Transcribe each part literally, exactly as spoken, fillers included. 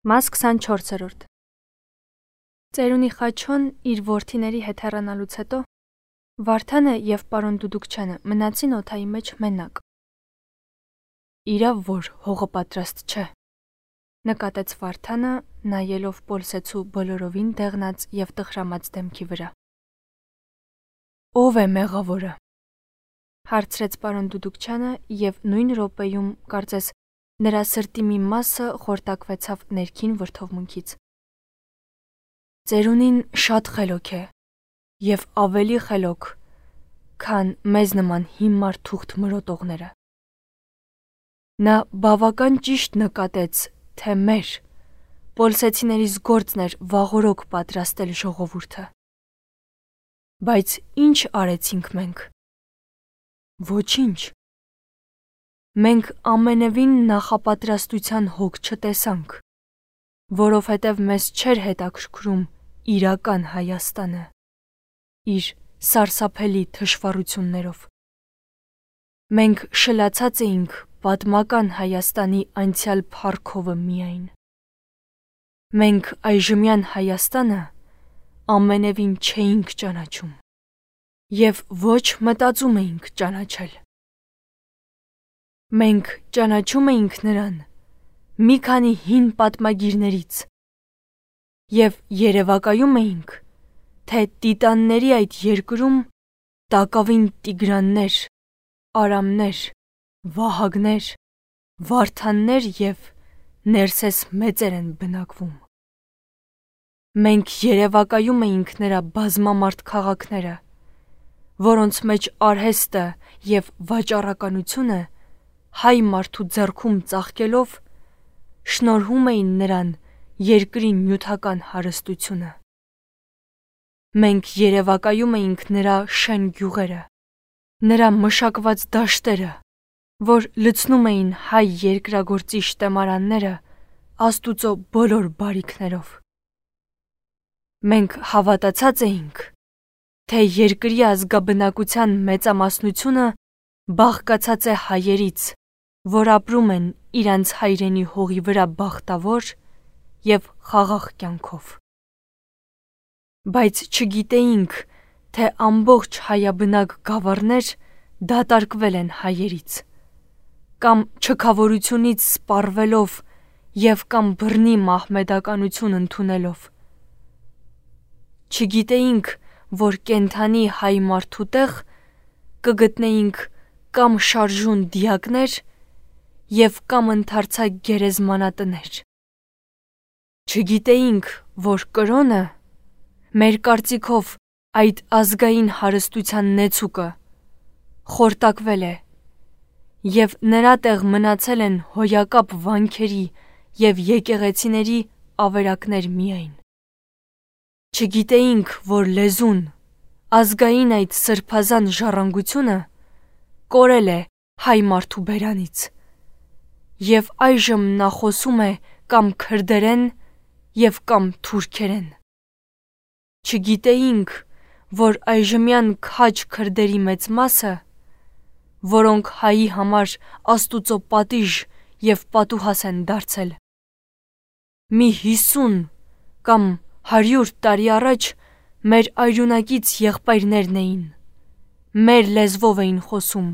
Մաս քսանչորսերորդ Ծերունի Խաչոն իր որդիների հետ հեռանալուց հետո Վարդանը և պարոն Դուդուկչյանը մնացին օդայի մեջ մենակ։ Իրավ որ հողը պատրաստ չէ, նկատեց Վարդանը, նայելով Պոլսեցու բոլորովին դեղնած և տխրամած դեմքի վրա։ Ո՞վ է մեղավորը, հարցրեց պարոն Դուդուկչյանը և նույն րոպեում, կարծես, նրա սրտի մի մասը խորտակվեցավ ներքին վրդովմունքից։ Ծերունին շատ խելոք է և ավելի խելոք, քան մեզ նման հիմար թուղթ մրոտողները։ Նա բավական ճիշտ նկատեց, թե մեր, պոլսեցիներիս գործն էր վաղօրոք պատրաստել ժողովուրդը։ Բայց ի՞նչ արեցինք մենք։ Ոչինչ։ Մենք ամենևին նախապատրաստության հոգ չտեսանք, որովհետև մեզ չէր հետաքրքրում իրական Հայաստանը, իր սարսափելի թշվառություններով։ Մենք շլացած էինք պատմական Հայաստանի անցյալ փառքովը միայն։ Մենք այժմյան Հայաստանը ամենևին չէինք ճանաչում և ոչ մտածում էինք ճանաչել։ Մենք ճանաչում էինք նրան մի քանի հին պատմագիրներից և երևակայում էինք, թե տիտանների այդ երկրում տակավին Տիգրաններ, Արամներ, Վահագներ, Վարդաններ և Ներսես մեծեր են բնակվում։ Մենք երևակայում էինք նրա բազմամարդ քաղաքները, որոնց մեջ արհեստը և վաճառականությունը հայ մարդու ձեռքում ծաղկելով շնորհում էին նրան երկրի նյութական հարստությունը։ Մենք երևակայում էինք նրա շեն գյուղերը, նրա մշակված դաշտերը, որ լցնում էին հայ երկրագործի շտեմարանները Աստուծո բոլոր բարիքներով։ Մենք հավատացած էինք, թե երկրի ազգաբնակության մեծամասնությունը բաղկացած է հայերից, որ ապրում են իրանց հայրենի հողի վրա բախտավոր և խաղաղ կյանքով։ Բայց չգիտեինք, թե ամբողջ հայաբնակ գավառներ դատարկվել են հայերից, կամ չքավորությունից սպառվելով և կամ բռնի մահմեդականություն ընդունելով։ Չգիտեինք, որ կենդանի հայ մարդու տեղ կգտնեինք կամ շարժուն դիակներ և կամ ընդարձակ գերեզմանատներ։ Չգիտեինք, որ կրոնը, մեր կարծիքով այդ ազգային հարստության նեցուկը, խորտակվել է և նրա տեղ մնացել են հոյակապ վանքերի և եկեղեցիների ավերակներ միայն։ Չգիտեինք, որ լեզուն, ազգային այդ սրբազան ժառանգությունը կորել է հայ մարդու բերանից, և այժմ նա խոսում է կամ քրդերեն և կամ թուրքերեն։ Չգիտեինք, որ այժմյան քաջ քրդերի մեծ մասը, որոնք հայի համար Աստուծո պատիժ և պատուհաս են դարձել, մի հիսուն կամ հարյուր տարի առաջ մեր արյունակից եղբայրներն էին, մեր լեզվով էին խոսում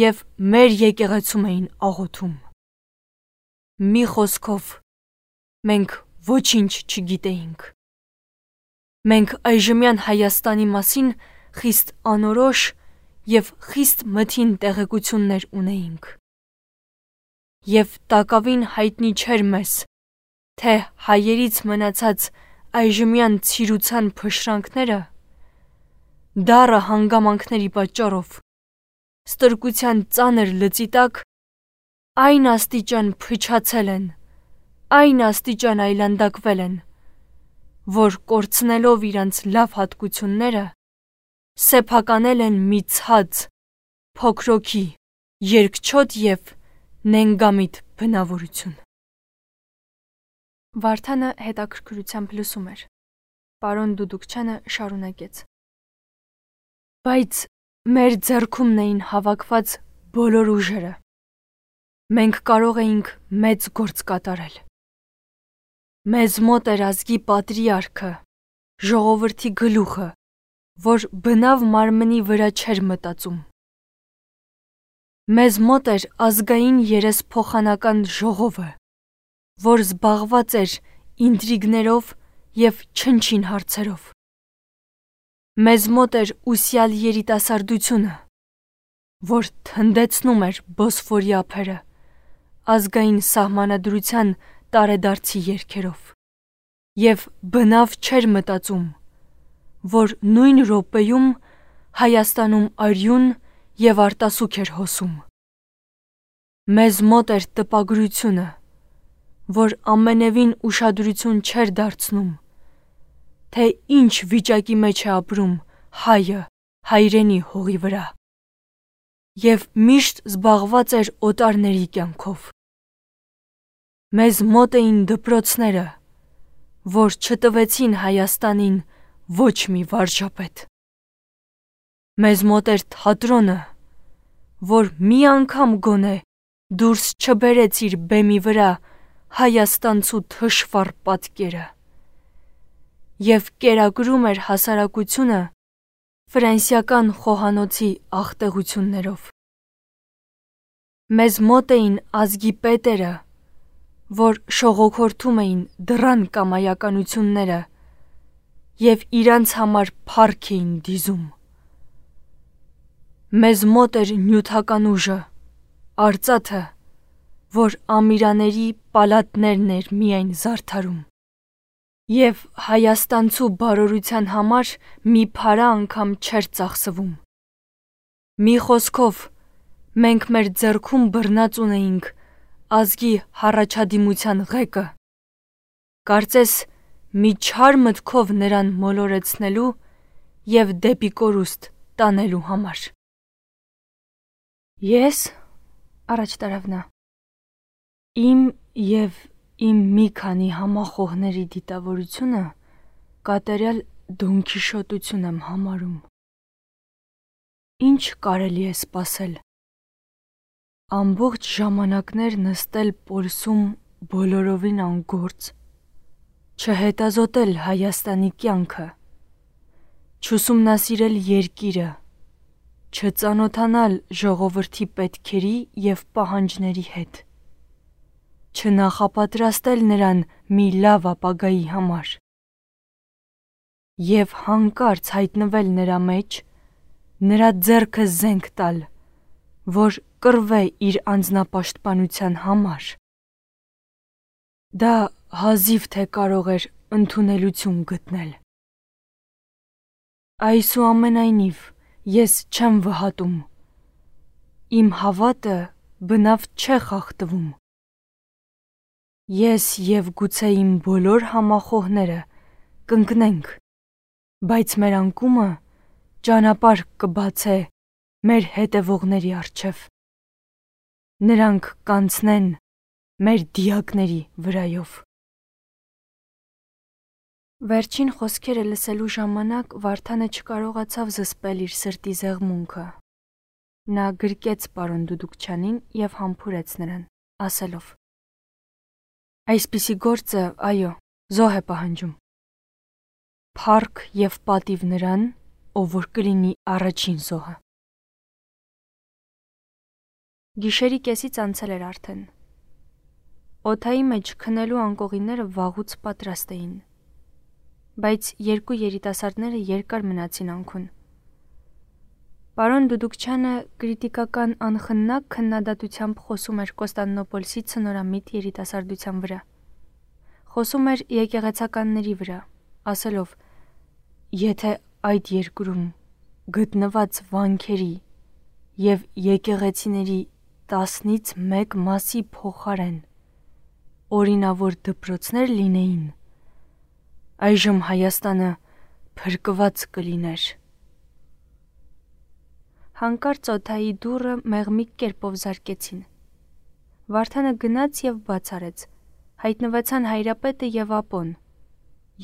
և մեր եկեղեցում էին աղոթում։ Մի խոսքով, մենք ոչինչ չգիտեինք։ Մենք այժմյան Հայաստանի մասին խիստ անորոշ և խիստ մթին տեղեկություններ ունեինք։ Եվ տակավին հայտնի չէր մեզ, թե հայերից մնացած այժմյան ցիրուցան փշրանքները դառը հանգամանքների պատճառով, ստրկության ծանր լծի տակ այն աստիճան փչացել են, այն աստիճան այլանդակվել են, որ կորցնելով իրանց լավ հատկությունները, սեփականել են մի ցած, փոքրոքի, երկչոտ և նենգամիտ բնավորություն։ Վարդանը հետաքրքրությամբ լսում էր։ Պարոն Դուդուկչյանը շարունակեց. Բայց մեր ձեռքումն էին հավաքված բոլոր ուժերը։ Մենք կարող էինք մեծ գործ կատարել։ Մեզ մոտ էր ազգի պատրիարքը, ժողովրդի գլուխը, որ բնավ մարմնի վրա չէր մտածում։ Մեզ մոտ էր ազգային երեսփոխանական ժողովը, որ զբաղված էր ինտրիգներով և չնչին հարցերով։ Մեզ մոտ էր ուսյալ երիտասարդությունը, որ թնդեցնում էր Բոսֆորի ափերը, ազգային սահմանադրության տարեդարձի երգերով, և բնավ չէր մտածում, որ նույն րոպեում Հայաստանում արյուն և արտասուք էր հոսում։ Մեզ մոտ էր տպագրությունը, որ ամենևին ուշադրություն չէր դարձնում, թե ինչ վիճակի մեջ է ապրում հայը հայրենի հողի վրա, և միշտ զբաղված էր օտարների կյանքով։ Մեզ մոտ էին դպրոցները, որ չտվեցին Հայաստանին ոչ մի վարժապետ։ Մեզ մոտ էր թատրոնը, որ մի անգամ գոնե դուրս չբերեց իր բեմի վրա հայաստանցու թշվառ պատկերը և կերակրում էր հասարակությունը ֆրանսիական խոհանոցի աղտեղություններով։ Մեզ մոտ էին ազգի պետերը, որ շողոքորթում էին դռան կամայականությունները և իրանց համար փառք էին դիզում։ Մեզ մոտ էր նյութական ուժը, արծաթը, որ ամիրաների պալատներն էր միայն զարդարում, և հայաստանցու բարօրության համար մի փարա անգամ չէր ծախսվում։ Մի խոսքով, մենք մեր ձեռքում բռնած ունեինք ազգի հառաջադիմության ղեկը, կարծես մի չար մտքով նրան մոլորեցնելու և դեպի կորուստ տանելու համար։ Ես, առաջ տարավ նա, իմ և իմ մի քանի համախոհների դիտավորությունը կատարյալ դոնքիշոտություն եմ համարում։ Ինչ կարելի է սպասել։ Ամբողջ ժամանակներ նստել պոլսում բոլորովին անգործ, չհետազոտել Հայաստանի կյանքը, չուսումնասիրել երկիրը, չծանոթանալ ժողովրդի պետքերի և պահանջների հետ, չնախապատրաստել նրան մի լավ ապագայի համար և հանկարծ հայտնվել նրա մեջ, նրա ձեռքը զենք տալ, որ կռվե իր անձնապաշտպանության համար, դա հազիվ թե կարող էր ընդունելություն գտնել։ Այսուամենայնիվ, ես չեմ վհատում, իմ հավատը բնավ չէ խախտվում։ Ես և գուցե իմ բոլոր համախոհները կընկնենք, բայց մեր անկումը ճանապարհ կբացե մեր հետևողների առջև։ Նրանք կանցնեն մեր դիակների վրայով։ Վերջին խոսքերը լսելու ժամանակ Վարդանը չկարողացավ զսպել իր սրտի զեղմունքը։ Նա գրկեց պարոն Դուդուկչյանին և համբուրեց նրան, ասելով. Այսպիսի գործը, այո, զոհ է պահանջում։ Փառք և պատիվ նրան, ով որ կլինի առաջին զոհը։ Գիշերի կեսից անցել էր արդեն։ Օդայի մեջ քնելու անկողինները վաղուց պատրաստ էին, բայց երկու երիտասարդները երկար մնացին անքուն։ Պարոն Դուդուկչյանը կրիտիկական անխննակ քննադատությամբ խոսում էր Կոստանդնուպոլսի ցնորամիտ երիտասարդության վրա։ Խոսում էր եկեղեցականների վրա, ասելով. Եթե այդ երկրում գտնված վանքերի և եկեղեցիների տասնից մեկ մասի փոխարեն օրինավոր դպրոցներ լինեին, այժմ Հայաստանը փրկված կլիներ։ Հանկարծ օդայի դուռը մեղմիկ կերպով զարկեցին։ Վարդանը գնաց և բաց արեց։ Հայտնվեցան Հայրապետը և Ապոն,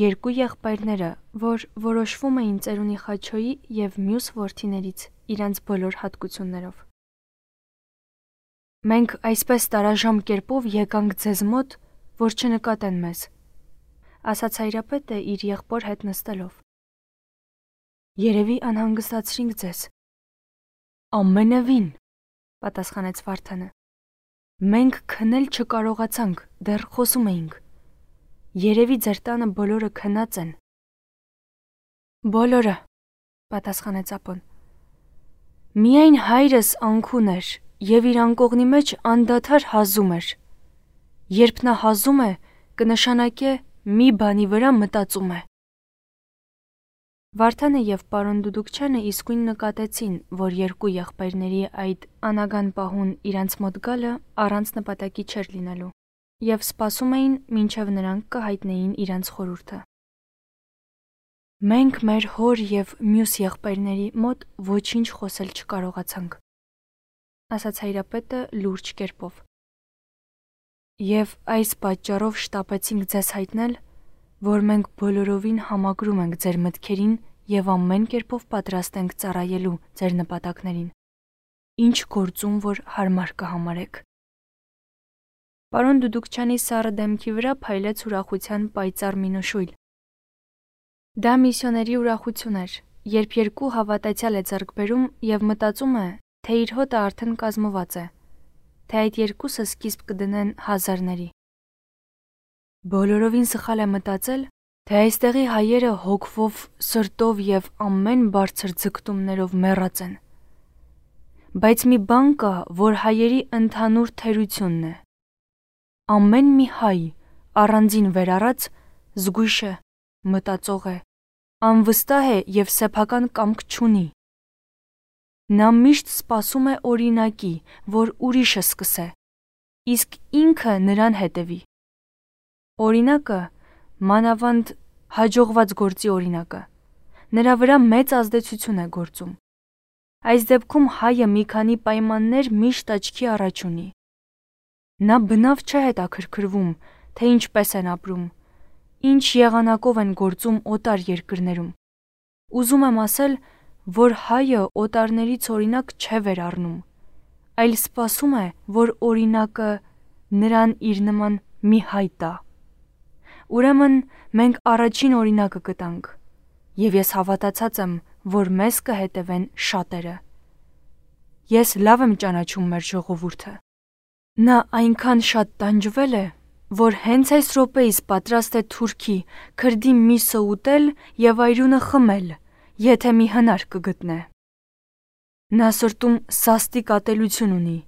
երկու եղբայրները, որ որոշվում էին ծերունի Խաչոյի և մյուս որդիներից իրանց բոլոր հատկություններով։ Մենք այսպես տարաժամ կերպով եկանք ձեզ մոտ, որ չնկատեն մեզ, ասաց հայրապետը իր եղբոր հետ նստելով։ Երևի անհանգստացրինք ձեզ։ Ամենևին, պատասխանեց Վարդանը։ Մենք քնել չկարողացանք, դեռ խոսում էինք։ Երևի ձեր տանը բոլորը քնած են։ Բոլորը, պատասխանեց ապոն։ Միայն հայրս անքուն էր եւ իր անկողնի մեջ անդադար հազում էր։ Երբ նա հազում է, կնշանակե մի բանի վրա մտածում է։ Վարդանը եւ պարոն Դուդուկչյանը իսկույն նկատեցին, որ երկու եղբայրների այդ անագան պահուն իրանց մոտ գալը առանց նպատակի չէր լինելու, եւ սպասում էին, մինչեւ նրանք կհայտնեին իրանց խորհուրդը։ Մենք մեր հոր եւ մյուս եղբայրների մոտ ոչինչ խոսել չկարողացանք, ասաց հայրապետը լուրջ կերպով։ Եվ այս պատճառով շտապեցինք ձեզ հայտնել, որ մենք բոլորովին համակրում ենք ձեր մտքերին եւ ամեն կերպով պատրաստ ենք ծառայելու ձեր նպատակներին, ինչ գործում որ հարմար կհամարեք։ Պարոն Դուդուկչյանի սառը դեմքի վրա փայլեց ուրախության պայծառ մի նշույլ։ Դա միսիոների ուրախություն էր, երբ երկու հավատացյալ է ձեռք բերում եւ մտածում է, թե իր հոտը արդեն կազմված է, թե այդ երկուսը սկիզբ կդնեն հազարների։ Բոլորովին սխալ է մտածել, թե այստեղի հայերը հոգվով, սրտով եւ ամեն բարձր ձգտումներով մեռած են։ Բայց մի բան կա, որ հայերի ընդհանուր թերությունն է։ Ամեն մի հայ, առանձին վերառած, զգույշ է, մտածող է, անվստահ է եւ սեփական կամք չունի։ Նա միշտ սպասում է օրինակի, որ ուրիշը սկսե, իսկ ինքը նրան հետևի։ Օրինակը, մանավանդ հաջողված գործի օրինակը, նրա վրա մեծ ազդեցություն է գործում։ Այս դեպքում հայը մի քանի պայմաններ միշտ աչքի առաջ ունի։ Նա բնավ չէ հետաքրքրվում, թե ինչպես են ապրում, ինչ եղանակով են գործում օտար երկրներում։ Ուզում եմ ասել, որ հայը օտարներից օրինակ չէ վերառնում, այլ սպասում է, որ օրինակը նրան իր նման մի հայ տա։ Ուրեմն մենք առաջին օրինակը կտանք, եւ ես հավատացած եմ, որ մեզ կհետևեն շատերը։ Ես լավ եմ ճանաչում մեր ժողովուրդը։ Նա այնքան շատ տանջվել է, որ հենց այս րոպեից պատրաստ է թուրքի, քրդի միսը ուտել եւ այրունը խմել, եթե մի հնար կգտնե։ Նա սրտում սաստիկ ատելություն ունի,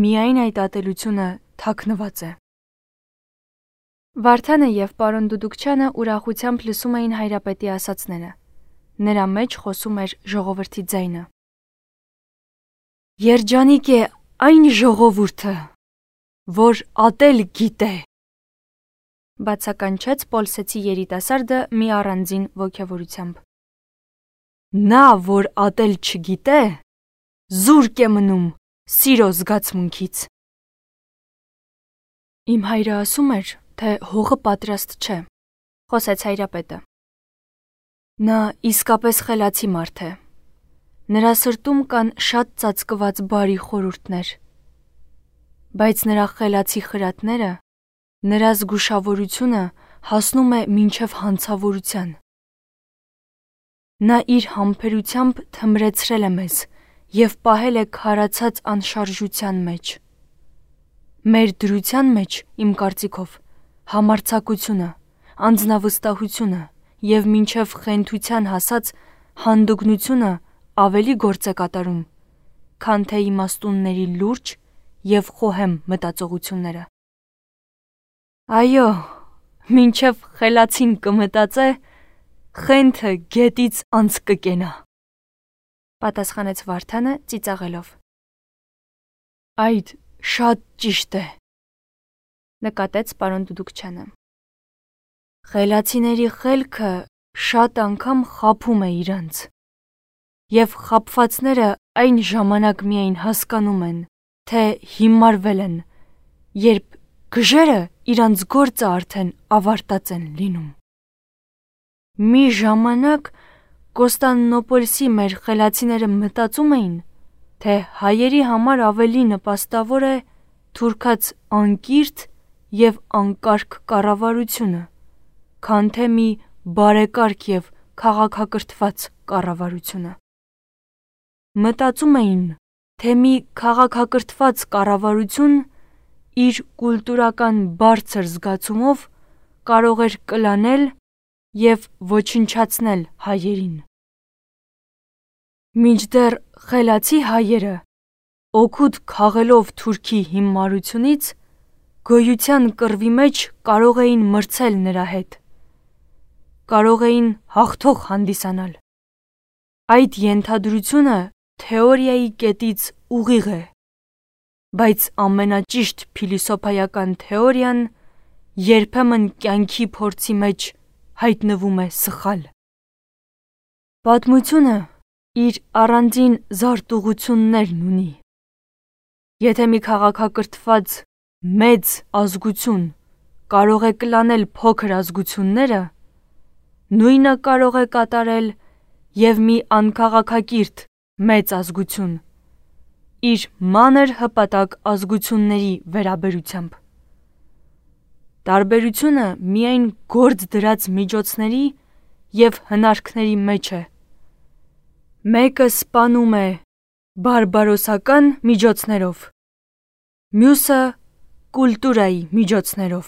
միայն այդ ատելությունը թաքնված է։ Վարդանը եւ պարոն Դուդուկչյանը ուրախությամբ լսում էին հայրապետի ասածները։ Նրա մեջ խոսում էր ժողովրդի ձայնը։ Երջանիկ է այն ժողովուրդը, որ ատել գիտե, բացականչեց Պոլսեցի երիտասարդը մի առանձին ոգևորությամբ։ Նա, որ ատել չգիտե, զուրկ է մնում սիրո զգացմունքից։ Իմ հայրը ասում էր, թե հողը պատրաստ չէ, խոսեց հայրապետը։ Նա իսկապես խելացի մարդ է։ Նրա սրտում կան շատ ծածկված բարի խորհուրդներ, բայց նրա խելացի խրատները, նրա զգուշավորությունը հասնում է մինչև հանցավորության։ Նա իր համբերությամբ թմրեցրել է մեզ եւ պահել է քարացած անշարժության մեջ։ Մեր դրության մեջ, իմ կարծիքով, համարձակությունը, անձնավստահությունը եւ մինչև խենթության հասած հանդգնությունը ավելի գործ է կատարում, քան թե իմաստունների լուրջ եւ խոհեմ մտածողությունները։ Այո, մինչև խելացին կմտածե, խենթը գետից անց կկենա, պատասխանեց Վարդանը ծիծաղելով։ Այդ շատ ճիշտ է, նկատեց պարոն Դուդուկչյանը։ Խելացիների խելքը շատ անգամ խաբում է իրանց, եւ խաբվածները այն ժամանակ միայն հասկանում են, թե հիմարվել են, երբ գժերը իրանց գործը արդեն ավարտած են լինում։ Մի ժամանակ Կոստանդնոպոլսի մեր խելացիները մտածում էին, թե հայերի համար ավելի նպաստավոր է թուրքած անկիրթ եւ անկարգ կառավարությունը, քան թե մի բարեկարգ եւ քաղաքակրթված կառավարությունը։ Մտածում էին, թե մի քաղաքակրթված կառավարություն իր կուլտուրական բարձր զգացումով կարող էր կլանել եւ ոչնչացնել հայերին։ Մինչդեռ խելացի հայերը, օգուտ քաղելով Թուրքի հիմարությունից, գոյության կռվի մեջ կարող էին մրցել նրա հետ, կարող էին հաղթող հանդիսանալ։ Այդ ենթադրությունը թեորիայի կետից ուղիղ է, բայց ամենաճիշտ փիլիսոփայական թեորիան երբեմն կյանքի փորձի մեջ հայտնվում է սխալ։ Պատմությունը իր առանձին զարտուղություններն ունի։ Եթե մի քաղաքակրթված մեծ ազգություն կարող է կլանել փոքր ազգությունները, նույնը կարող է կատարել եւ մի անքաղաքակիրթ մեծ ազգություն իր մանր հպատակ ազգությունների վերաբերությամբ։ Տարբերությունը միայն գործ դրած միջոցների եւ հնարքների մեջ է։ Մեկը սպանում է բարբարոսական միջոցներով, մյուսը կուլտուրայի միջոցներով։